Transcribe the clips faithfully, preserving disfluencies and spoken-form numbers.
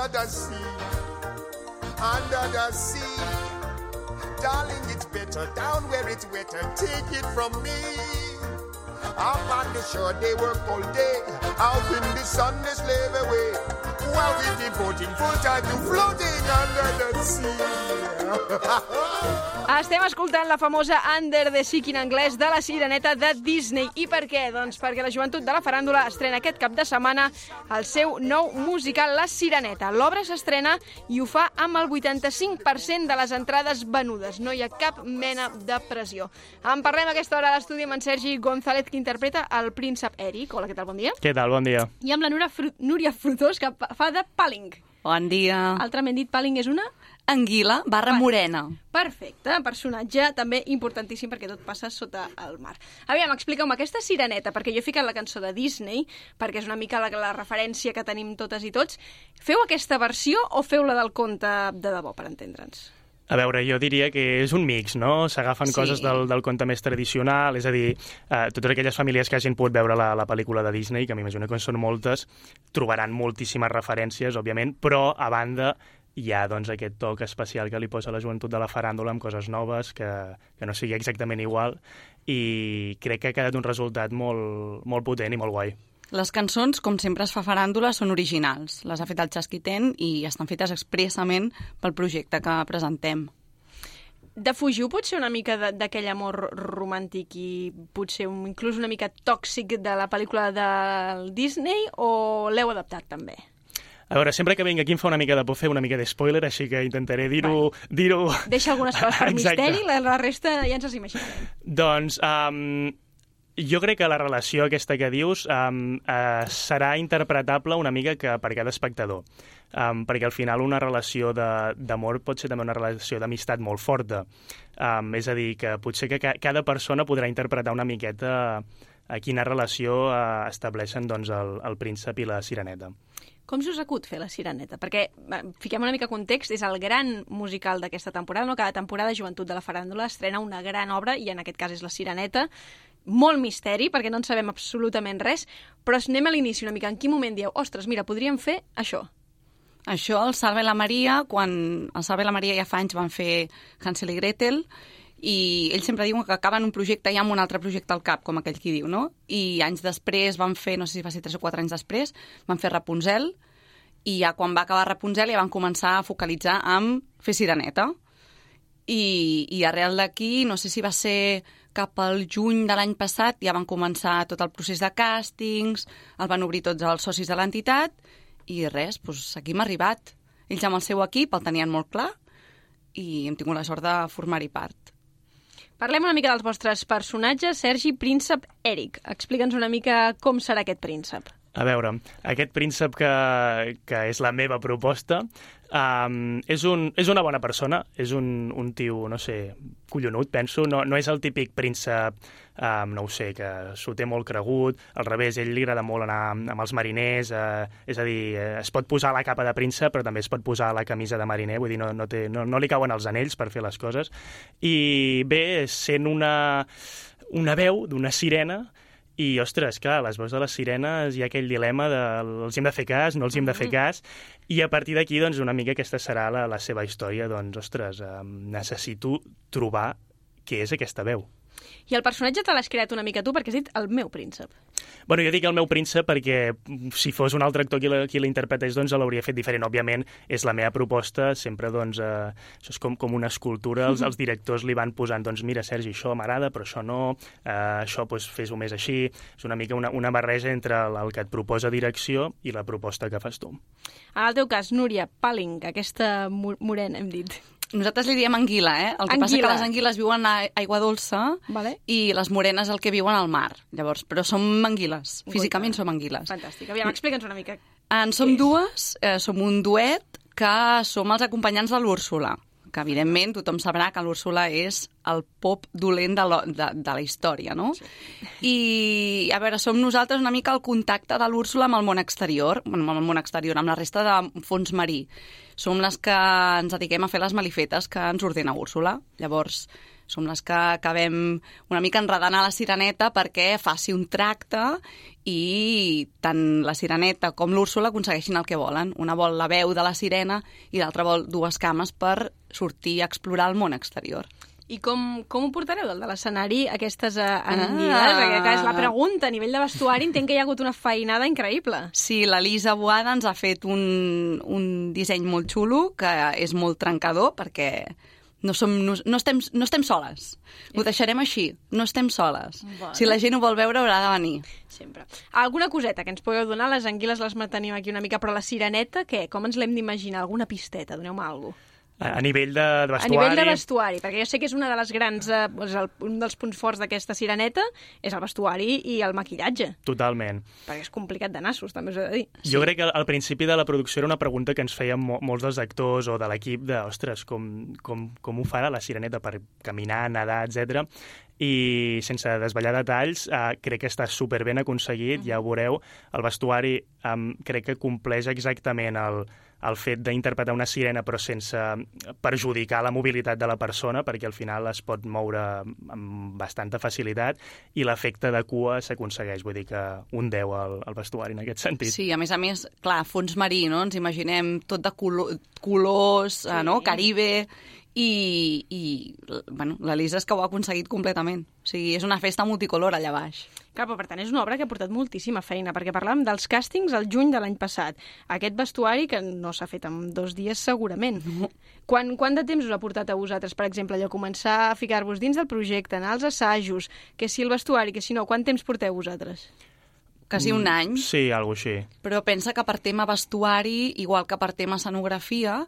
under the sea, under the sea. Darling, it's better down where it's wetter. Take it from me. Up on the shore they work all day, out in the sun they slave away, while we devoting full time to floating under the sea. Estem escoltant la famosa Under the Sea en anglès de La Sireneta de Disney. I per què? Doncs perquè la joventut de la faràndula estrena aquest cap de setmana el seu nou musical La Sireneta. L'obra s'estrena i ho fa amb el vuitanta-cinc per cent de les entrades venudes. No hi ha cap mena de pressió. En parlem a aquesta hora a l'estudi amb en Sergi González, que interpreta el príncep Eric. Hola, què tal? Bon dia. Què tal? Bon dia. I amb la Núria, Fru- Núria Frutós, que fa de Pàling. Bon dia. Altrament dit, Pàling és una... Anguila barra morena. Perfecte, personatge també importantíssim perquè tot passa sota el mar. Aviam, explica'm aquesta Sireneta, perquè jo he ficat la cançó de Disney, perquè és una mica la, la referència que tenim totes i tots. Feu aquesta versió o feu la del conte de debò, per entendre'ns? A veure, jo diria que és un mix, no? S'agafen sí. coses del, del conte més tradicional, és a dir, eh, totes aquelles famílies que hagin pogut veure la, la pel·lícula de Disney, que m'imagino que són moltes, trobaran moltíssimes referències, òbviament, però, a banda, hi ha doncs, aquest toc especial que li posa la joventut de la faràndula amb coses noves, que, que no sigui exactament igual, i crec que ha quedat un resultat molt, molt potent i molt guai. Les cançons, com sempre es fa faràndula, són originals. Les ha fet el Chasquiten i estan fetes expressament pel projecte que presentem. Defugiu potser una mica d'aquell amor romàntic i potser un, inclús una mica tòxic de la pel·lícula del Disney, o l'heu adaptat també? A veure, sempre que vinc aquí em fa una mica de por fer una mica de spoiler, així que intentaré dir-ho... dir-ho... Deixa algunes coses per misteri, la, la resta ja ens les imaginarem. Doncs um, jo crec que la relació aquesta que dius um, uh, serà interpretable una mica que per cada espectador, um, perquè al final una relació d'amor pot ser també una relació d'amistat molt forta. Um, és a dir, que potser que ca cada persona podrà interpretar una miqueta a quina relació uh, estableixen doncs, el, el príncep i la sireneta. Com s'us acut fer La Sireneta? Perquè, fiquem una mica context, és el gran musical d'aquesta temporada, no? Cada temporada Joventut de la Faràndula estrena una gran obra, i en aquest cas és La Sireneta. Molt misteri, perquè no en sabem absolutament res, però anem a l'inici una mica. En quin moment dieu, ostres, mira, podríem fer això? Això, el Salve la Maria, quan el Salve la Maria ja fa anys van fer Hansel i Gretel, i ells sempre diuen que acaben un projecte ja amb un altre projecte al cap, com aquell qui diu, no? I anys després van fer, no sé si va ser tres o quatre anys després, van fer Rapunzel, i ja quan va acabar Rapunzel ja van començar a focalitzar en fer Sireneta. I, i arrel d'aquí, no sé si va ser cap al juny de l'any passat, ja van començar tot el procés de càstings, el van obrir tots els socis de l'entitat, i res, doncs aquí hem arribat. Ells amb el seu equip el tenien molt clar, i hem tingut la sort de formar-hi part. Parlem una mica dels vostres personatges. Sergi, príncep Eric. Explica'ns una mica com serà aquest príncep. A veure, aquest príncep que, que és la meva proposta um, és, un, és una bona persona, és un, un tio, no sé, collonut, penso. No, no és el típic príncep, um, no ho sé, que s'ho té molt cregut. Al revés, ell li agrada molt anar amb els mariners, eh, és a dir, eh, es pot posar la capa de príncep, però també es pot posar la camisa de mariner, vull dir, no, no, té, no, no li cauen els anells per fer les coses. I bé, sent una, una veu d'una sirena, i, ostres, clar, les veus de les sirenes hi ha aquell dilema de els hem de fer cas, no els hem de fer cas, i a partir d'aquí, doncs, una mica aquesta serà la, la seva història. Doncs, ostres, eh, necessito trobar què és aquesta veu. I el personatge te l'has creat una mica tu, perquè has dit el meu príncep. Bueno, jo dic el meu príncep perquè si fos un altre actor qui, la, qui l'interpretés, doncs l'hauria fet diferent. Òbviament, és la meva proposta, sempre, doncs, eh, això és com, com una escultura, els, els directors li van posant, doncs, mira, Sergi, això m'agrada, però això no, eh, això, doncs, fes-ho més així. És una mica una, una barreja entre el, el que et proposa direcció i la proposta que fas tu. En el teu cas, Núria, Pàling, aquesta morena, hem dit. Nosaltres li diem anguila, eh? El que Anguila. passa que les anguiles viuen a aigua dolça, vale, i les morenes el que viuen al mar. Llavors, però som anguiles, físicament som anguiles. Fantàstic. Aviam, explica'ns una mica. En som dues, eh, som un duet que som els acompanyants de l'Úrsula, que evidentment tothom sabrà que l'Úrsula és el pop dolent de, lo, de, de la història, no? Sí. I, a veure, som nosaltres una mica el contacte de l'Úrsula amb el món exterior, amb el món exterior, amb la resta de fons marí. Som les que ens dediquem a fer les malifetes que ens ordena Úrsula. Llavors, som les que acabem una mica enredant a la sireneta perquè faci un tracte i tant la sireneta com l'Úrsula aconsegueixin el que volen. Una vol la veu de la sirena i l'altra vol dues cames per sortir a explorar el món exterior. I com, com ho portareu del de l'escenari, aquestes uh, anguiles? Ah. Que és la pregunta. A nivell de vestuari entenc que hi ha hagut una feinada increïble. Sí, la Lisa Boada ens ha fet un, un disseny molt xulo, que és molt trencador, perquè no, som, no, no, estem, no estem soles. Ho deixarem així, no estem soles. Vale. Si la gent ho vol veure, haurà de venir. Sempre. Alguna coseta que ens podeu donar? Les anguiles les mantenim aquí una mica, però la sireneta, què? Com ens l'hem d'imaginar? Alguna pisteta? Doneu-me alguna cosa. A nivell de, de vestuari... A nivell de vestuari, perquè jo sé que és una de les grans... Eh, el, un dels punts forts d'aquesta sireneta és el vestuari i el maquillatge. Totalment. Perquè és complicat de nassos, també us he de dir. Jo sí. crec que al principi de la producció era una pregunta que ens feien mo molts dels actors o de l'equip de, ostres, com, com, com ho farà la sireneta per caminar, nedar, etcètera. I sense desvetllar detalls, eh, crec que està superben aconseguit, uh-huh. ja ho veureu. El vestuari eh, crec que compleix exactament el, el fet d'interpretar una sirena però sense perjudicar la mobilitat de la persona, perquè al final es pot moure amb bastanta facilitat i l'efecte de cua s'aconsegueix, vull dir que un deu al, al vestuari en aquest sentit. Sí, a més a més, clar, fons marí, no? Ens imaginem tot de color, colors, sí. eh, no? Caribe... I, i bueno, la Lisa és que ho ha aconseguit completament. O sigui, és una festa multicolor allà baix. Clar, però per tant és una obra que ha portat moltíssima feina, perquè parlàvem dels càstings al juny de l'any passat. Aquest vestuari que no s'ha fet en dos dies segurament. No. Quan, quant de temps us ha portat a vosaltres, per exemple, allò començar a ficar-vos dins del projecte, anar als assajos, que si el vestuari, que si no, quant temps porteu vosaltres? Quasi un any. Sí, alguna cosa així. Però pensa que per tema vestuari, igual que per tema escenografia,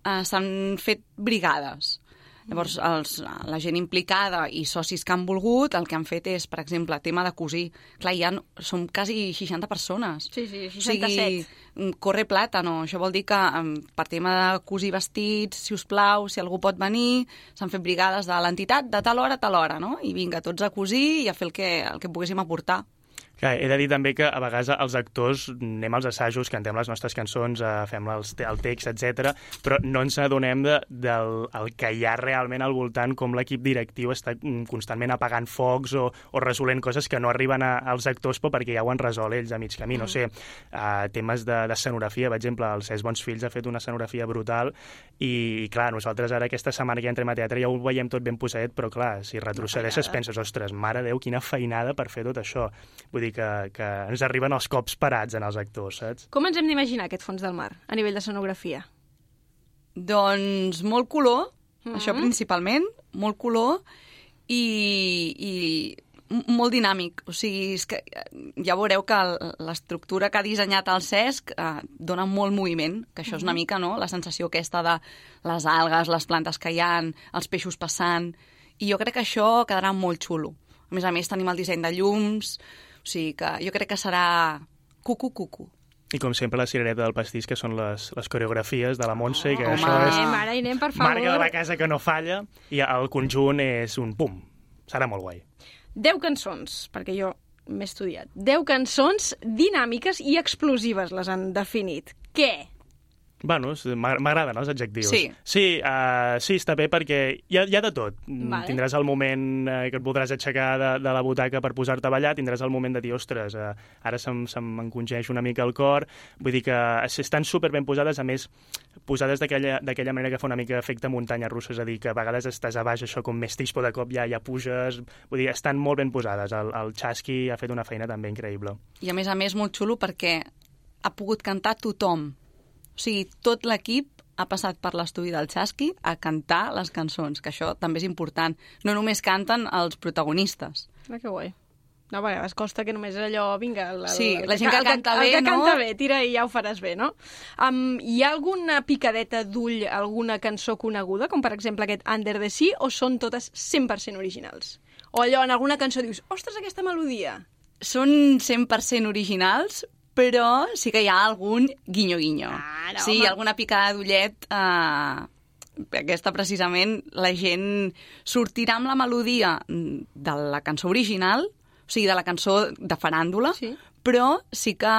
Uh, s'han fet brigades. Llavors, els, la gent implicada i socis que han volgut, el que han fet és, per exemple, tema de cosir. Clar, ja no, som quasi seixanta persones. Sí, sí, seixanta-set. O sigui, corre plàtano. Això vol dir que um, per tema de cosir vestits, si us plau, si algú pot venir, s'han fet brigades de l'entitat de tal hora a tal hora, no? I vinga, tots a cosir i a fer el que, el que poguéssim aportar. Clar, he de dir també que a vegades els actors anem als assajos, cantem les nostres cançons, eh, fem els, el text, etcètera, però no ens adonem de, del el que hi ha realment al voltant, com l'equip directiu està constantment apagant focs o, o resolent coses que no arriben a, als actors però perquè ja ho han resolt ells a mig camí. Mm. No sé, eh, temes d'escenografia, de, per exemple, el Cesc Bonsfills ha fet una escenografia brutal i, clar, nosaltres ara aquesta setmana que entrem a teatre ja ho veiem tot ben posadet, però clar, si retrocedeixes penses, ostres, mare Déu, quina feinada per fer tot això. Vull dir que, que ens arriben els cops parats en els actors, saps? Com ens hem d'imaginar aquest fons del mar, a nivell d'escenografia? Doncs molt color, mm-hmm. això principalment, molt color i, i molt dinàmic. O sigui, és que ja veureu que l'estructura que ha dissenyat el Cesc eh, dona molt moviment, que això és una mica, no?, la sensació aquesta de les algues, les plantes que hi ha, els peixos passant, i jo crec que això quedarà molt xulo. A més a més, tenim el disseny de llums, o sigui que jo crec que serà cucu-cucu. I com sempre la cirereta del pastís, que són les, les coreografies de la Montse, que oh, això és ara anem, per favor. marca de la casa que no falla, i el conjunt és un pum. Serà molt guai. Deu cançons, perquè jo m'he estudiat. Deu cançons dinàmiques i explosives les han definit. Què? Bueno, m'agraden els adjectius. Sí. Sí, uh, sí, està bé perquè hi ha, hi ha de tot. Vale. Tindràs el moment uh, que et voldràs aixecar de, de la butaca per posar-te a ballar, tindràs el moment de dir, ostres, uh, ara se'm, se'm encongeix una mica el cor. Vull dir que estan super ben posades, a més, posades d'aquella manera que fa una mica efecte muntanya russa, és a dir, que a vegades estàs a baix, això com més trist, però de cop ja, ja puges. Vull dir, estan molt ben posades. El, el Chasqui ha fet una feina també increïble. I a més a més molt xulo perquè ha pogut cantar tothom. O sigui, tot l'equip ha passat per l'estudi del Chasqui a cantar les cançons, que això també és important. No només canten els protagonistes. Ah, que guai. No, a vegades costa que només és allò, vinga... El, sí, el, la gent que el canta el, bé, el que no? canta bé, tira i ja ho faràs bé, no? Um, hi ha alguna picadeta d'ull, alguna cançó coneguda, com per exemple aquest Under the Sea, o són totes cent per cent originals? O allò, en alguna cançó dius, ostres, aquesta melodia! Són cent per cent originals, però sí que hi ha algun guinyo-guinyo. Ah, no, sí, home. alguna picada d'ullet. Eh, aquesta, precisament, la gent sortirà amb la melodia de la cançó original, o sigui, de la cançó de faràndula, sí. Però sí que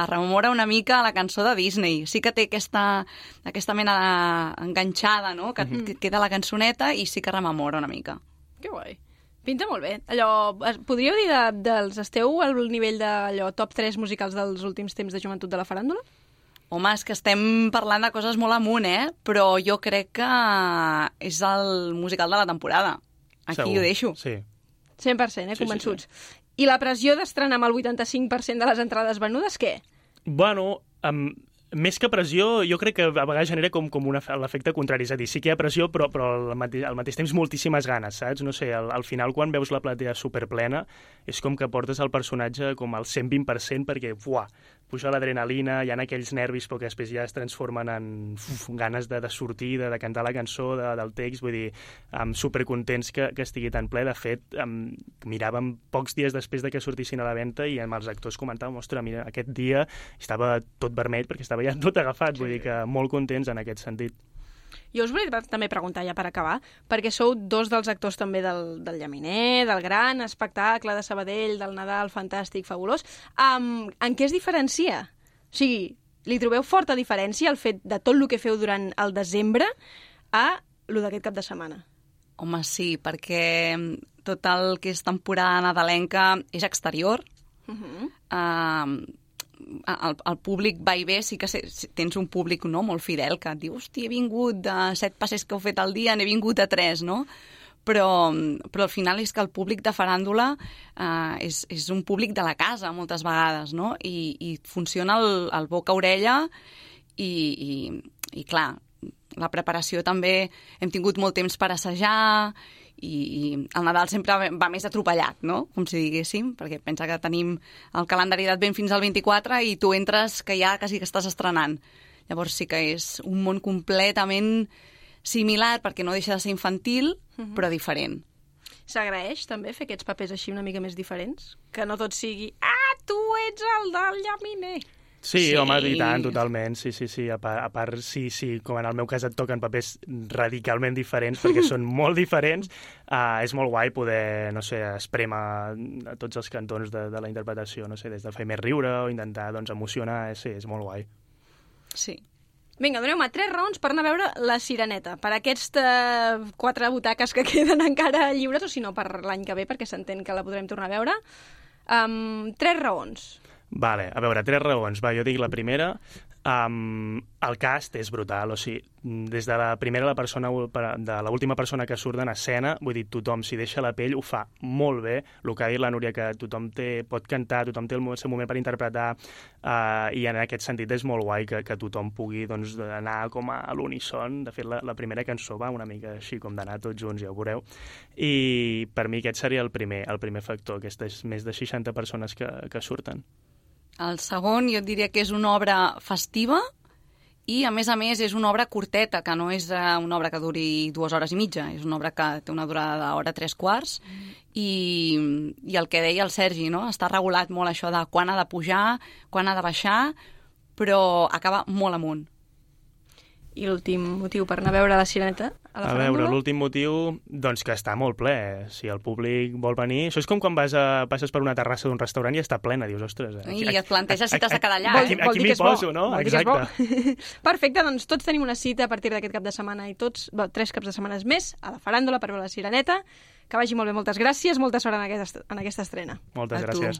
rememora una mica la cançó de Disney. Sí que té aquesta, aquesta mena enganxada, no?, que, mm-hmm. que queda la cançoneta i sí que rememora una mica. Que guai. Pinta molt bé. Allò, podríeu dir de, dels... Esteu al nivell d'allò top tres musicals dels últims temps de joventut de la faràndula? Home, és que estem parlant de coses molt amunt, eh? Però jo crec que és el musical de la temporada. Aquí Segur. Ho deixo. Sí. cent per cent, eh? Sí, Convençuts. sí, sí. I la pressió d'estrenar amb el vuitanta-cinc per cent de les entrades venudes, què? Bueno, um, més que pressió, jo crec que a vegades genera com, com un efe- l'efecte contrari. És a dir, sí que hi ha pressió, però, però al, mate al mateix temps moltíssimes ganes, saps? No sé, al, al final, quan veus la platea superplena, és com que portes el personatge com al cent vint per cent perquè, fuà, puja l'adrenalina, hi ha aquells nervis, però que després ja es transformen en uf, ganes de, de sortir, de, de cantar la cançó, de, del text, vull dir, um, supercontents que, que estigui tan ple. De fet, um, miràvem pocs dies després de que sortissin a la venda i amb els actors comentàvem, ostres, mira, aquest dia estava tot vermell perquè estava ja tot agafat, vull dir que molt contents en aquest sentit. Jo us volia també preguntar, ja per acabar, perquè sou dos dels actors també del, del Llaminer, del gran espectacle de Sabadell, del Nadal fantàstic, fabulós. Um, en què es diferencia? O sigui, li trobeu forta diferència el fet de tot el que feu durant el desembre a lo d'aquest cap de setmana? Home, sí, perquè tot el que és temporada nadalenca és exterior. Uh-huh. uh, el, el públic va i ve, sí que sé, tens un públic no, molt fidel que et diu, hosti, he vingut de set passes que heu fet al dia, n'he vingut a tres, no? Però, però al final és que el públic de faràndula eh, és, és un públic de la casa moltes vegades, no? I, i funciona el, el boca-orella i, i, i clar, la preparació també hem tingut molt temps per assajar i, i el Nadal sempre va més atropellat, no? Com si diguéssim, perquè pensa que tenim el calendari d'Advent fins al vint-i-quatre i tu entres que ja quasi que estàs estrenant. Llavors sí que és un món completament similar, perquè no deixa de ser infantil, uh-huh. però diferent. S'agraeix també fer aquests papers així una mica més diferents? Que no tot sigui, ah, tu ets el del Llaminer! Sí, Sí. home, i tant, totalment, sí, sí, sí. A part, a part, sí, sí, com en el meu cas et toquen papers radicalment diferents, perquè són molt diferents, uh, és molt guai poder, no sé, esprémer a tots els cantons de, de la interpretació, no sé, des de fer més riure o intentar, doncs, emocionar, sí, és molt guai. Sí. Vinga, doneu-me tres raons per anar a veure La Sireneta. Per aquestes quatre butaques que queden encara lliures, o si no, per l'any que ve, perquè s'entén que la podrem tornar a veure. Um, tres raons. Vale, a veure, tres raons. Va, jo dic la primera. Um, el cast és brutal, o sigui, des de la primera la persona, de l'última persona que surt en escena, vull dir, tothom s'hi deixa la pell, ho fa molt bé. El que ha dit la Núria, que tothom té, pot cantar, tothom té el seu moment per interpretar, uh, i en aquest sentit és molt guai que, que tothom pugui doncs, anar com a l'unisson. De fet, la, la primera cançó va una mica així, com d'anar tots junts, ja ho veureu. I per mi aquest seria el primer, el primer factor, aquestes més de seixanta persones que, que surten. El segon jo et diria que és una obra festiva i, a més a més, és una obra curteta, que no és una obra que duri dues hores i mitja, és una obra que té una durada d'hora tres quarts mm. i, i el que deia el Sergi, no? Està regulat molt això de quan ha de pujar, quan ha de baixar, però acaba molt amunt. I l'últim motiu per anar a veure La Sireneta a la A faràndula? veure, l'últim motiu, doncs que està molt ple. Si el públic vol venir... Això és com quan vas a, passes per una terrassa d'un restaurant i està plena, dius, ostres... Aquí, I et planteges si t'has de quedar allà. Aquí, Vol- vol aquí dir m'hi que és bo, poso, no? vol dir que és bo. Exacte. Perfecte, doncs tots tenim una cita a partir d'aquest cap de setmana i tots, bé, tres caps de setmanes més a la faràndula per veure La Sireneta. Que vagi molt bé, moltes gràcies, molta sort en aquesta, en aquesta estrena. Moltes A tu. gràcies.